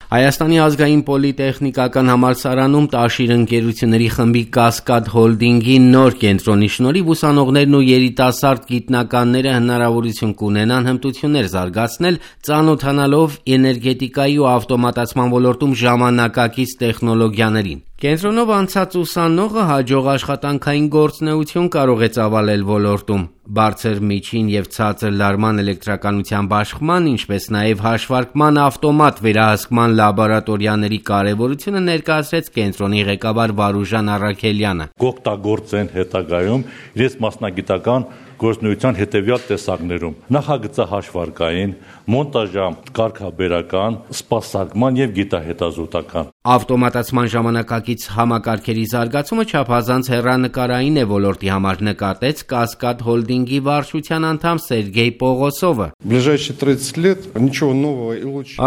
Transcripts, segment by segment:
Հայաստանի ազգային պոլիտեխնիկական համալսարանում Տաշիր ընկերությունների խմբի Կասկադ հոլդինգի նոր կենտրոնի շնորհիվ ուսանողներն ու երիտասարդ գիտնականները հնարավորություն կունենան հմտություններ զարգացնել, ծանոթանալով էներգետիկայի ու ավտոմատացման ոլորտում ժամանակակից տեխնոլոգիաներին։ Կենտրոնով անցած ուսանողը հաջող աշխատանքային գործունեություն կարող է ծավալել ոլորտում։ Բարձր, միջին և ցածր լարման էլեկտրականության բաշխման, ինչպես նաև հաշվարկման ավտոմատ վերահսկման լաբորատորիաների կարևորությունը ներկայացրեց կենտրոնի ղեկավար Վարուժան Առաքելյանը։ Կօգտագործեն հետագայում իրենց մասնագիտական գործունեության հետևյալ տեսակներում՝ նախագծահաշվարկային, մոնտաժակարգաբերական, սպասարկման և գիտահետազոտական։ Ավտոմատացման ժամանակակից համակարգերի զարգացումը չափազանց հեռանկարային է ոլորտի համար, նկատեց Կասկադ հոլդինգի վարչության անդամ Սերգեյ Պողոսովը։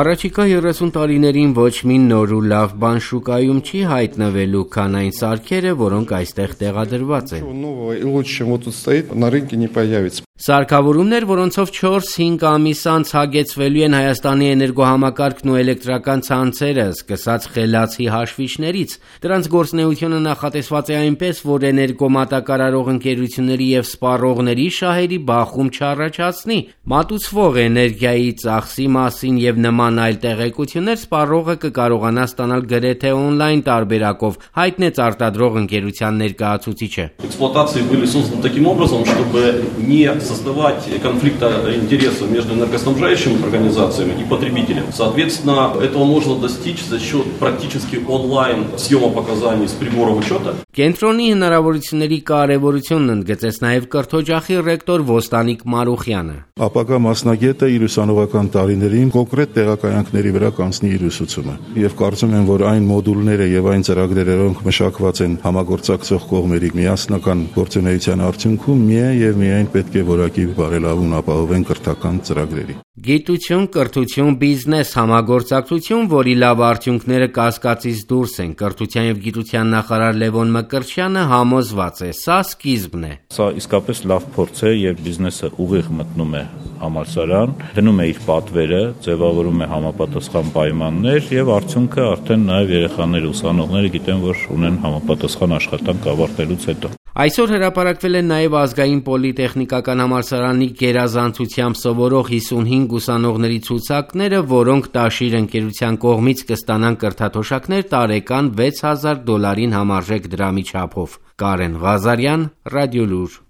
Առաջիկա 30 տարիներին ոչ մի նոր ու լավ բան շուկայում չի հայտնվելու, քան այն սարքերը, որոնք այստեղ տեղադրված են։ Սարքավորումներ, որոնցով 4-5 ամիս անց հագեցվելու են Հայաստանի էներգոհամակարգն ու էլեկտրական ցանցերը, սկսած խելացի հաշվիչներից։ Դրանց գործունեությունը նախատեսված է այնպես, որ էներգոմատակարարող ընկերությունների և սպառողների շահերի բախում չառաջացնի։ Մատուցվող էներգիայի ծախսի մասին և նման այլ տեղեկություններ սպառողը կկարողանա ստանալ գրեթե օնլայն տարբերակով, հայտնեց արտադրող ընկերության ներկայացուցիչը։ Создавать конфликта интересов между энергоснабжающими организациями и потребителем. Соответственно, этого можно достичь за счет практически онлайн съема показаний с приборов учета. Կենտրոնի հնարավորությունների կարևորությունն ընդգծեց նաև կրթօջախի ռեկտոր Ոստանիկ Մարուխյանը։ Ապագա մասնագետը իր ուսանողական տարիներին կոնկրետ տեղակայանքների վրա կանցնի իր ուսուցումը։ Եվ կարծում եմ, որ այն մոդուլները եւ այն ծրագրերը, որոնք մշակված են համագործակցող կողմերի միասնական գործունեության արդյունքում, միայն պետք է որակի բարելավում ապահովեն կրթական ծրագրերի։ Գիտություն, կրթություն, բիզնես, համագործակցություն, որի լավ արդյունքները կասկածից դուրս են։ Կրթության եւ գիտության նախարար Լևոն Մկրտչյանը համոզված է, սա սկիզբն է։ Սա իսկապես լավ փորձ է եւ բիզնեսը ուղիղ մտնում է համալսարան, դնում է իր պատվերը, ձևավորում է համապատասխան պայմաններ եւ արդյունքը արդեն նաեւ երեխաները, ուսանողները գիտեն, որ ունեն համապատասխան աշխատանք ավարտելուց հետո։ Այսօր հրապարակվել են նաև ազգային պոլիտեխնիկական համալսարանի գերազանցությամբ սովորող 55 ուսանողների ցուցակները, որոնք Տաշիր ընկերության կողմից կստանան կրթաթոշակներ տարեկան $6000 համարժեք դրամի չափով։ Կարեն Ղազարյան, Ռադիոլուր։